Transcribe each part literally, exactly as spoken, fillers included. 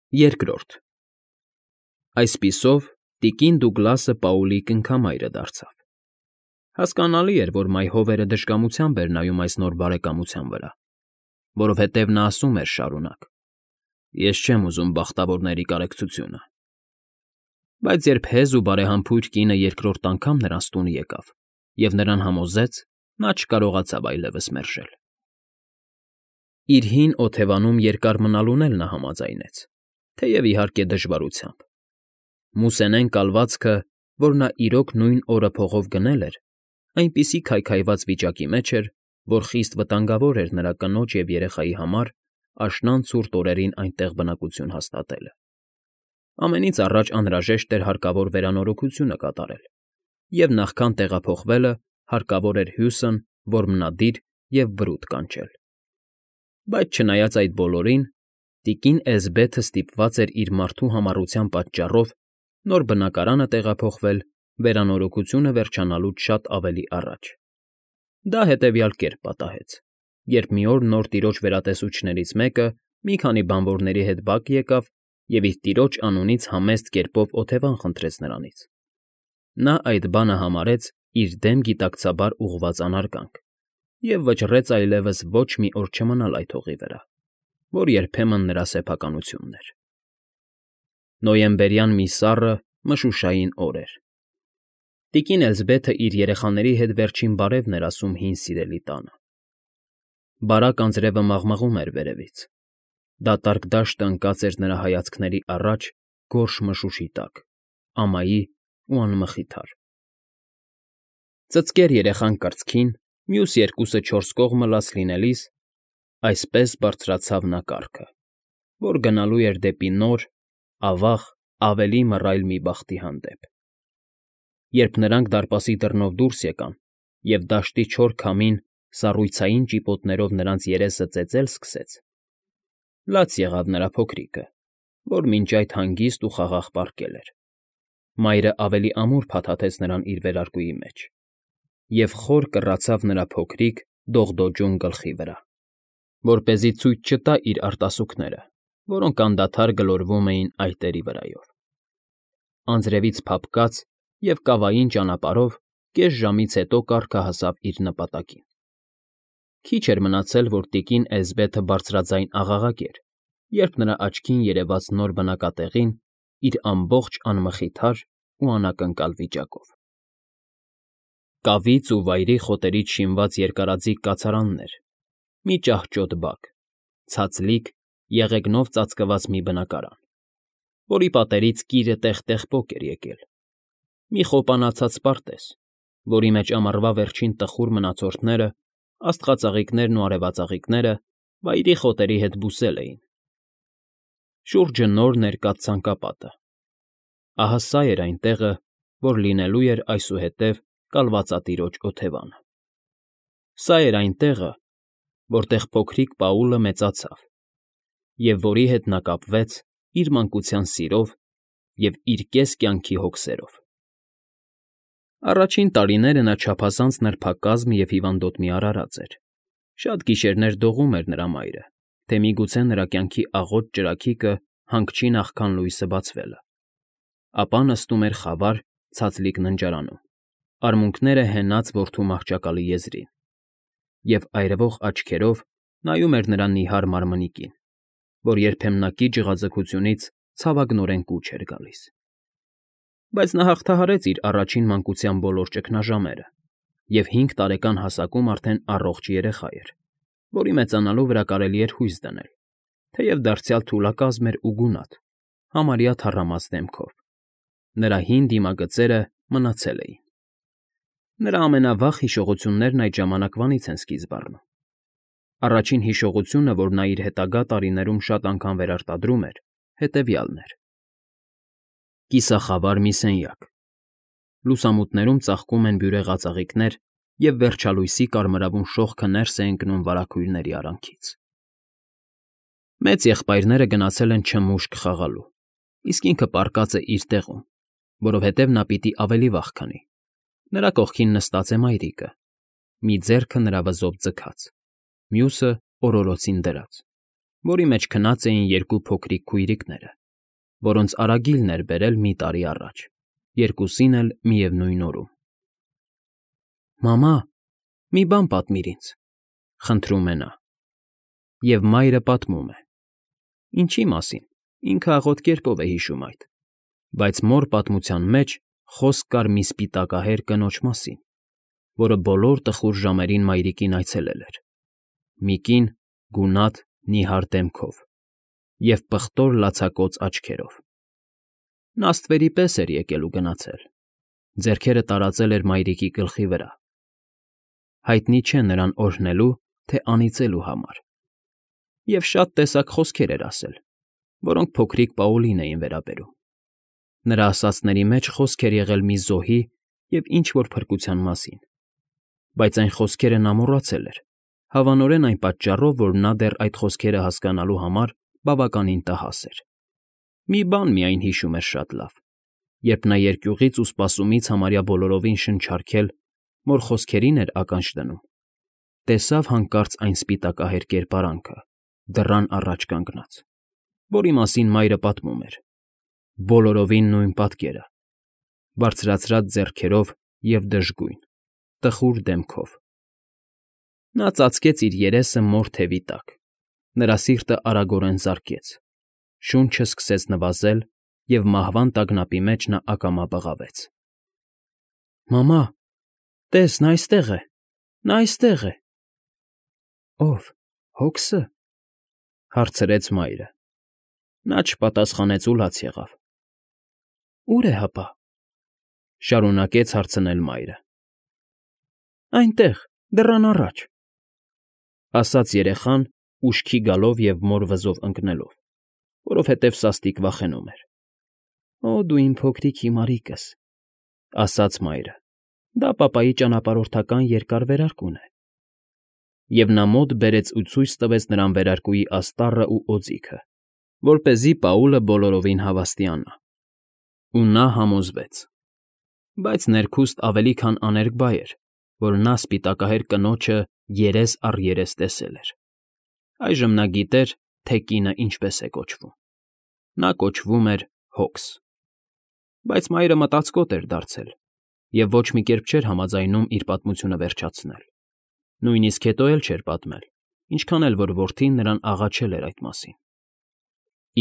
Երկրորդ Այսպիսով տիկին Դուգլասը Պաուլի կնքամայրը դարձավ։ Հասկանալի էր, որ մայհովերը դժկամությամբ էր նայում այս նոր բարեկամության վրա, որովհետև նա ասում էր շարունակ. «Ես չեմ ուզում բախտավորների կարեկցությունը»։ Բայց երբ հեզ ու բարեհամբույր կինը երկրորդ անգամ նրանց տուն եկավ և նրան համոզեց, նա չկարողացավ այլևս մերժել։ Իր հին օթևանում երկար մնալուն էլ նա համաձայնեց, թեև, իհարկե, դժվարությամբ։ Մուսենեն կալվածքը, որ նա իրոք նույն օրը փողով գնել էր, այնպիսի քայքայված վիճակի մեջ էր, որ խիստ վտանգավոր էր նրա կնոջ և երեխայի համար աշնան ցուրտ օրերին այնտեղ բնակություն հաստատելը։ Ամենից առաջ անհրաժեշտ էր հարկավոր վերանորոգությունը կատարել, և նախքան տեղափոխվելը հարկավոր էր հյուսն որմնադիր և բրուտ կանչել։ Բայց չնայած այդ բոլորին, տիկին Էսբեթը ստիպված էր իր մարդու համառության պատճառով նոր բնակարանը տեղափոխվել վերանորոգությունը վերջանալուց շատ ավելի առաջ։ Դա հետևյալ կերպ պատահեց. Երբ մի օր նոր տիրոջ վերատեսուչներից մեկը մի քանի բանվորների հետ բակ եկավ և իր տիրոջ անունից համեստ կերպով օթևան խնդրեց նրանից, նա այդ բանը համարեց իր դեմ գիտակցաբար ուղղված անարգանք և վճռեց այլևս ոչ մի օր չմնալ այդ հողի վրա, որ երբեմն նրա սեփականությունն էր։ Նոյեմբերյան մի սառը, մշուշային օր էր։ Տիկին Էլզբեթը իր երեխաների հետ վերջին բարևն էր ասում հին սիրելի տանը։ Բարակ անձրևը մաղմաղում էր վերևից։ Դատարկ դաշտը ընկած էր նրա հայացքների առաջ գորշ մշուշի տակ, ամայի ու անմխիթար։ Ծծկեր երեխան կրծքին, մյուս երկուսը չորս կողմը լաց լինելիս, այսպես բարձրացավ նա կառքը, որ գնալու էր դեպի նոր, ավաղ, ավելի մռայլ մի բախտի հանդեպ։ Երբ նրանք դարպասի դռնով դուրս եկան, և դաշտի չոր քամին սառույցային ճիպոտներով նրանց երեսը ծեծել սկսեց, լաց եղավ նրա փոքրիկը, որ մինչ այդ հանգիստ ու խաղաղ պառկել էր։ Մայրը ավելի ամուր փաթաթեց նրան իր վերարկուի մեջ և խոր կռացավ նրա փոքրիկ, դողդոջուն գլխի վրա, որպեսզի ցույց չտա իր արտասուքները, որոնք անդադար գլորվում էին այտերի վրայով։ Անձրևից փափկած և կավային ճանապարհով կես ժամից հետո կառքը հասավ իր նպատակին։ Քիչ էր մնացել, որ տիկին Էլզբեթը բարձրաձայն աղաղակեր, երբ նրա աչքին երևաց նոր բնակատեղին իր ամբողջ անմխիթար ու անակնկալ վիճակով։ Կավից ու վայրի խոտերից շինված երկարաձիգ կացարաններ, մի ճահճոտ բակ, ցածլիկ, եղեգնով ծածկված մի բնակարան, որի պատերից կիրը տեղ֊տեղ պոկ էր եկել, մի խոպանացած պարտեզ, որի մեջ ամառվա վերջին տխուր մնացորդները, աստղածաղիկներն ու արևածաղիկները վայրի խոտերի հետ բուսել էին։ Շուրջը նոր ներկած ցանկապատը։ Ահա սա էր այն տեղը, որ լինելու էր այսուհետև կալվածատիրոջ օթևանը։ Սա էր այն տեղը, որտեղ փոքրիկ Պաուլը մեծացավ և որի հետ նա կապվեց իր մանկության սիրով և իր կես կյանքի հոգսերով։ Առաջին տարիները նա չափազանց նրբակազմ և հիվանդոտ մի արարած էր։ Շատ գիշերներ դողում էր նրա մայրը, թե միգուցե նրա կյանքի աղոտ ճրագիկը հանգչի նախքան լույսը բացվելը, ապա նստում էր խավար, ցածլիկ ննջարանում, արմունկները հենած որդու մահճակալի եզրին, և այրվող աչքերով նայում էր նրա նիհար մարմնիկին, որ երբեմնակի ջղաձգությունից ցավագնորեն կուչ էր գալիս։ Բայց նա հաղթահարեց իր առաջին մանկության բոլոր ճգնաժամերը և հինգ տարեկան հասակում արդեն առողջ երեխա էր, որի մեծանալու վրա կարելի էր հույս դնել, թեև դարձյալ թուլակազմ էր ու գունատ, համարյա թառամած դեմքով։ Նրա հին դիմագծերը մնացել էին։ Նրա ամենավաղ հիշողություններն այդ ժամանակվանից են սկիզբ առնում։ Առաջին հիշողությունը, որ նա իր հետագա տարիներում շատ անգամ վերարտադրում էր, հետևյալն էր. Կիսախավար մի սենյակ։ Լուսամուտներում ծաղկում են բյուրեղած ծաղիկներ, և վերջալույսի կարմրավուն շողքը ներս է ընկնում վարագույրների արանքից։ Մեծ եղբայրները գնացել են չմուշկ խաղալու, իսկ ինքը պառկած է իր տեղում, որովհետև նա պիտի ավելի վաղ քնի։ Նրա կողքին նստած է մայրիկը, մի ձեռքը նրա վզոպ ձգած, մյուսը օրորոցին դրած, որի մեջ քնած էին երկու փոքրիկ քույրիկները, որոնց արագիլն էր բերել մի տարի առաջ, երկուսին էլ միևնույն օրում։ «Մամա, մի բան պատմիր ինձ,֊ խնդրում է նա։ Եվ մայրը պատմում է։ Ինչի մասին, ինքը աղոտ կերպով է հիշում այդ, բայց մոր պատմության մեջ խոսք կար մի սպիտակահեր կնոջ մասին, որը բոլոր տխուր ժամերին մայրիկին այցելել էր։ Մի կին գունատ, նիհար դեմքով և պղտոր լացակոծ աչքերով։ Նա ստվերի պես էր եկել ու գնացել, ձեռքերը տարածել էր մայրիկի գլխի վրա։ Հայտնի չէ նրան օրհնելու, թե անիծելու համար։ Եվ շատ տեսակ խոսքեր էր ասել, որոնք փոքրիկ Պաուլին էին վերաբերում։ Նրա ասածների մեջ խոսք էր եղել մի զոհի և ինչ֊որ փրկության մասին, բայց այն խոսքերը նա մոռացել էր, հավանորեն այն պատճառով, որ նա դեռ այդ խոսքերը հասկանալու համար բավականին տհաս էր։ Մի բան միայն հիշում էր շատ լավ. երբ նա երկյուղից ու սպասումից համարյա բոլորովին շնչառքել մոր խոսքերին էր ականջ դնում, տեսավ հանկարծ այն սպիտակահեր կերպարանքը, դռան առաջ կանգնած, որի մասին մայրը պատմում էր, բոլորովին նույն պատկերը, բարձրացրած ձեռքերով և դժգույն, տխուր դեմքով։ Նա ծածկեց իր երեսը մոր թևի տակ, նրա սիրտը արագորեն զարկեց, շունչը սկսեց նվազել, և մահվան տագնապի մեջ նա ակամա բղավեց։ «Մամա, տես, նա այստեղ է, նա այստեղ է»։ «Ո՞վ, Հոքսը,֊ հարցրեց մայրը։ Նա չպատասխանեց ու լաց եղավ։ «Ո՞ւր է հապա,֊ շարունակեց հարցնել մայրը։ «Այնտեղ, դռան առաջ,֊ ասաց երեխան, ուշքի գալով և մոր վզով ընկնելով, որովհետև սաստիկ վախենում էր։ Օ, դու իմ փոքրիկ հիմարիկս,֊ ասաց մայրը, դա պապայի ճանապարհորդական երկար վերարկուն է։ Եվ նա մոտ բերեց ու ցույց տվեց նրան վերարկուի աստառն ու օձիքը, որպեսզի Պաուլը բոլորովին հավաստիանա։ Ու նա համոզվեց։ Բայց ներքուստ ավելի քան աներկբա էր, որ նա սպիտակահեր կնոջը երես առ երես տեսել էր։ Այժմ նա գիտեր, թե կինը ինչպես է կոչվում։ Նա կոչվում էր Հոքս։ Բայց մայրը մտածկոտ էր դարձել և ոչ մի կերպ չէր համաձայնում իր պատմությունը վերջացնել, նույնիսկ հետո էլ չէր պատմել, ինչքան էլ որ որդին նրան աղաչել էր այդ մասին։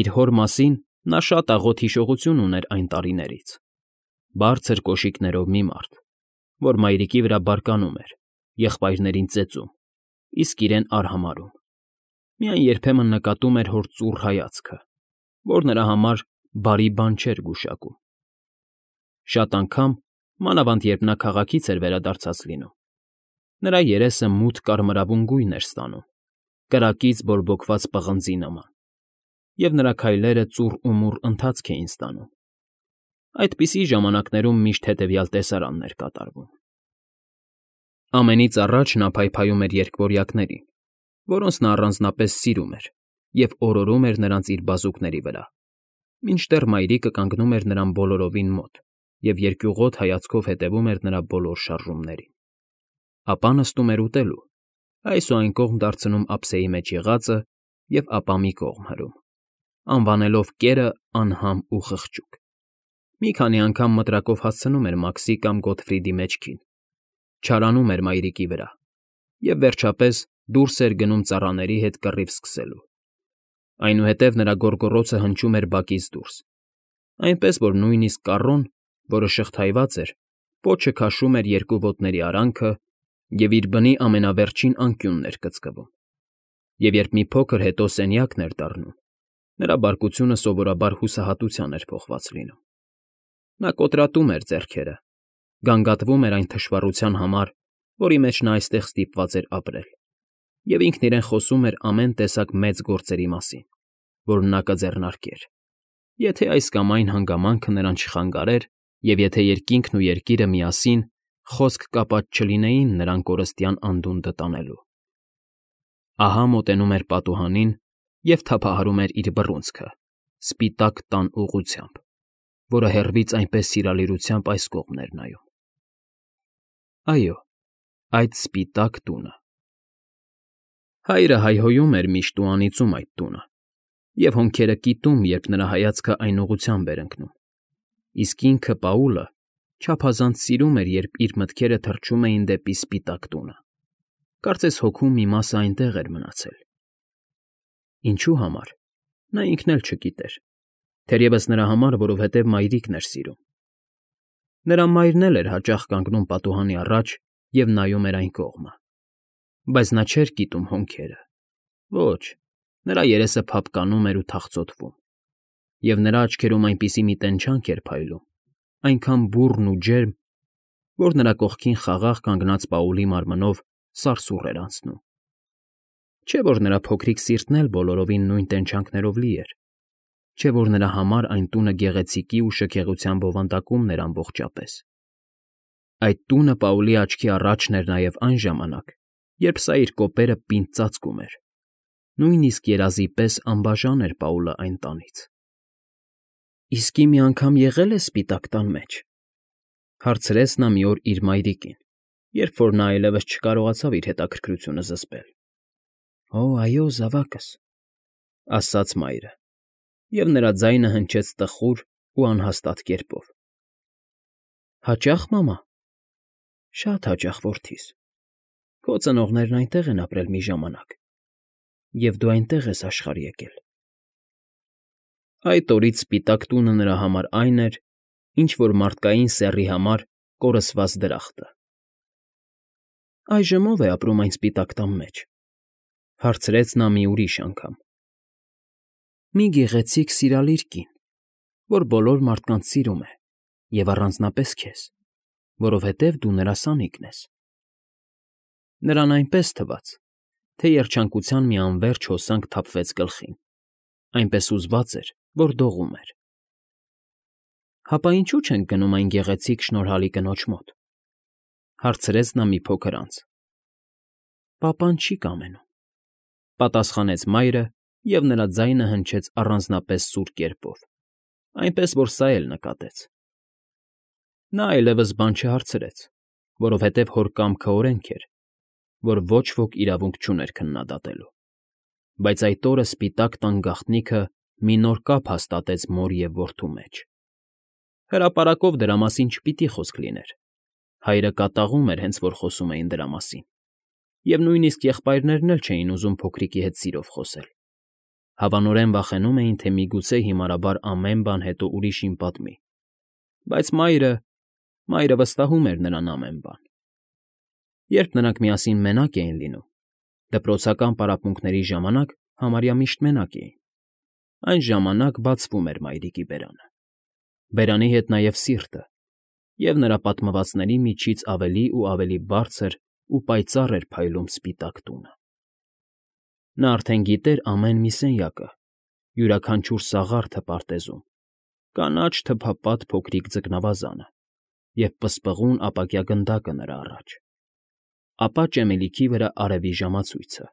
Իր հոր մասին նա շատ աղոտ հիշողություն ուներ այն տարիներից. բարձր կոշիկներով մի մարդ, որ մայրիկի վրա բարկանում էր, եղբայրներին ծեծում, իսկ իրեն արհամարհում։ Միայն երբեմն նկատում էր հոր ծուռ հայացքը, որ նրա համար բարի բան չէր գուշակում։ Շատ անգամ, մանավանդ երբ նա քաղաքից էր վերադարձած լինում, նրա երեսը մութ կարմրավուն գույն էր ստանում, կրակից բորբոքված պղնձի նման, և նրա քայլերը ծուռ ու մուռ ընթացք էին ստանում։ Այդպիսի ժամանակներում միշտ հետևյալ տեսարանն էր կատարվում. Ամենից առաջ նա փայփայում էր երկվորյակներին, որոնց նա առանձնապես սիրում էր, և օրորում էր նրանց իր բազուկների վրա, մինչդեռ մայրիկը կանգնում էր նրան բոլորովին մոտ և երկյուղոտ հայացքով հետևում էր նրա բոլոր շարժումներին։ Ապա նստում էր ուտելու, այս ու այն կողմ դարձնում ափսեի մեջ եղածը և ապա մի կողմ հրում, անվանելով կերը անհամ ու խղճուկ։ Մի քանի անգամ մտրակով հասցնում էր Մաքսի կամ Գոտֆրիդի մեջքին, չարանում էր մայրիկի վրա և, վերջապես, դուրս էր գնում ծառաների հետ կռիվ սկսելու։ Այնուհետև նրա գոռգոռոցը հնչում էր բակից դուրս, այնպես որ նույնիսկ կառոն, որը շղթայված էր, պոչը քաշում էր երկու ոտների արանքը և իր բնի ամենավերջին անկյունն էր կծկվում։ Եվ երբ մի փոքր հետո սենյակն էր դառնում, նրա բարկությունը սովորաբար հուսահատության էր փոխված լինում։ Նա կոտրատում էր ձեռքերը, գանգատվում էր այն թշվառության համար, որի մեջ նա այստեղ ստիպված էր ապրել, և ինքն իրեն խոսում էր ամեն տեսակ մեծ գործերի մասին, որ նա կձեռնարկեր, եթե այս կամ այն հանգամանքը նրան չխանգարեր և եթե երկինքն ու երկիրը միասին խոսք կապած չլինեին նրան կորստյան անդունդը տանելու։ Ահա մոտենում էր պատուհանին և թափահարում էր իր բռունցքը սպիտակ տան ուղղությամբ, որը հեռվից այնպես սիրալիրությամբ այս կողմն էր նայում։ Այո, այդ սպիտակ տունը։ Հայրը հայհոյում էր միշտ ու անիծում այդ տունը, Եվ հոնքերը կիտում, երբ նրա հայացքը այն ուղղությամբ էր ընկնում, իսկ ինքը՝ Պաուլը, չափազանց սիրում էր, երբ իր մտքերը թռչում էին դեպի սպիտակ տունը, կարծես հոգու մի մասը այնտեղ էր մնացել։ Ինչու համար, նա ինքն էլ չգիտեր, թերևս նրա համար, որովհետև մայրիկն էր սիրում։ Նրա մայրն էլ էր հաճախ կանգնում պատուհանի առաջ և նայում էր այն կողմը, բայց նա չէր կիտում հոնքերը։ Ոչ, նրա երեսը փափկանում էր ու թախծոտվում, և նրա աչքերում այնպիսի մի տենչանք էր փայլում, այնքան բուռն ու ջերմ, որ նրա կողքին խաղաղ կանգնած Պաուլի մարմնով սարսուռ էր անցնում։ Չէ՞ որ նրա փոքրիկ սիրտն էլ բոլորովին նույն տենչանքներով լի էր, չէ՞ որ նրա համար այն տունը գեղեցիկի ու շքեղության բովանդակումն էր ամբողջապես։ Այդ տունը Պաուլի աչքի առաջն էր նաև այն ժամանակ, երբ սա իր կոպերը պինդ ծածկում էր, նույնիսկ երազի պես անբաժան էր Պաուլը այն տանից։ ֊ Իսկի մի անգամ եղե՞լ ես Սպիտակ տան մեջ,֊ հարցրեց նա մի օր իր մայրիկին, երբ որ նա այլևս չկարողացավ իր հետաքրքրությունը զսպել։ ֊ Օ, այո, զավակս,֊ ասաց մայրը, և նրա ձայնը հնչեց տխուր ու անհաստատ կերպով։ ֊ Հաճա՞խ, մամա։ ֊ Շատ հաճախ, որդիս, քո ծնողներն այնտեղ են ապրել մի ժամանակ, և դու այնտեղ ես աշխարհ եկել։ Այդ օրից սպիտակ տունը նրա համար այն էր, ինչ որ մարդկային սեռի համար կորսված դրախտը։ ֊ Այժմ ո՞վ է ապրում այն սպիտակ տան մեջ,֊ հարցրեց նա մի ուրիշ անգամ։ ֊ Մի գեղեցիկ, սիրալիր կին, որ բոլոր մարդկանց սիրում է, և առանձնապես քեզ, որովհետև դու նրա սանիկն ես։ Նրան այնպես թվաց, թե երջանկության մի անվերջ հոսանք թափվեց գլխին, այնպես հուզված էր, որ դողում էր։ ֊ Հապա ինչու՞ չենք գնում այն գեղեցիկ, շնորհալի կնոջ մոտ,֊ հարցրեց նա մի փոքր անց։ ֊ Պապան չի կամենում,֊ պատասխանեց մայրը, և նրա ձայնը հնչեց առանձնապես սուր կերպով, այնպես որ սա էլ նկատեց։ Նա այլևս բան չհարցրեց, որովհետև հոր կամքը օրենք էր, որ ոչ ոք իրավունք չուներ քննադատելու, բայց այդ օրը Սպիտակ տան գաղտնիքը մի նոր կապ հաստատեց մոր և որդու մեջ։ Հրապարակով դրա մասին չպիտի խոսք լիներ, հայրը կատաղում էր, հենց որ խոսում էին դրա մասին, և նույնիսկ եղբայրներն էլ չէին ուզում փոքրիկի հետ սիրով խոսել, հավանորեն վախենում էին, թե միգուցե հիմարաբար ամեն բան հետո ուրիշին պատմի, բայց մայրը… մայրը վստահում էր նրան ամեն բան։ Երբ նրանք միասին մենակ էին լինում, դպրոցական պարապմունքների ժամանակ համարյա միշտ մենակ էին, այն ժամանակ բացվում էր մայրիկի բերանը, բերանի հետ նաև սիրտը, և նրա պատմվածքների միջից ավելի ու ավելի բարձր ու պայծառ էր փայլում սպիտակ տունը։ Նա արդեն գիտեր ամեն մի սենյակը, յուրաքանչյուր սաղարթը պարտեզում, կանաչ թփապատ փոքրիկ ձկնավազանը և պսպղուն ապակյա գնդակը նրա առաջ, ապա ճեմելիքի վրա արևի ժամացույցը։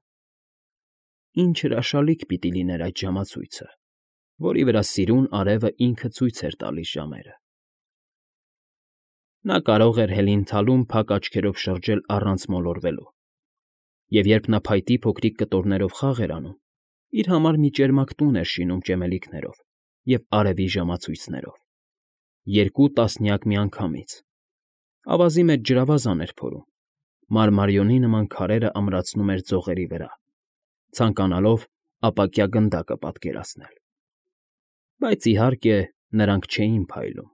Ինչ հրաշալիք պիտի լիներ այդ ժամացույցը, որի վրա սիրուն արևը ինքը ցույց էր տալիս ժամերը։ Նա կարող էր հելին֊թալում փակ աչքերով շրջել առանց մոլորվելու, և երբ նա փայտի փոքրիկ կտորներով խաղ էր անում, իր համար մի ճերմակ տուն էր շինում ճեմելիքներով և արևի ժամացույցներով, երկու տասնյակ միանգամից, ավազի մեջ ջրավազան էր փորում, մարմարիոնի նման քարերը ամրացնում էր ձողերի վրա, ցանկանալով ապակյա գնդակը պատկերացնել։ Բայց, իհարկե, նրանք չէին փայլում։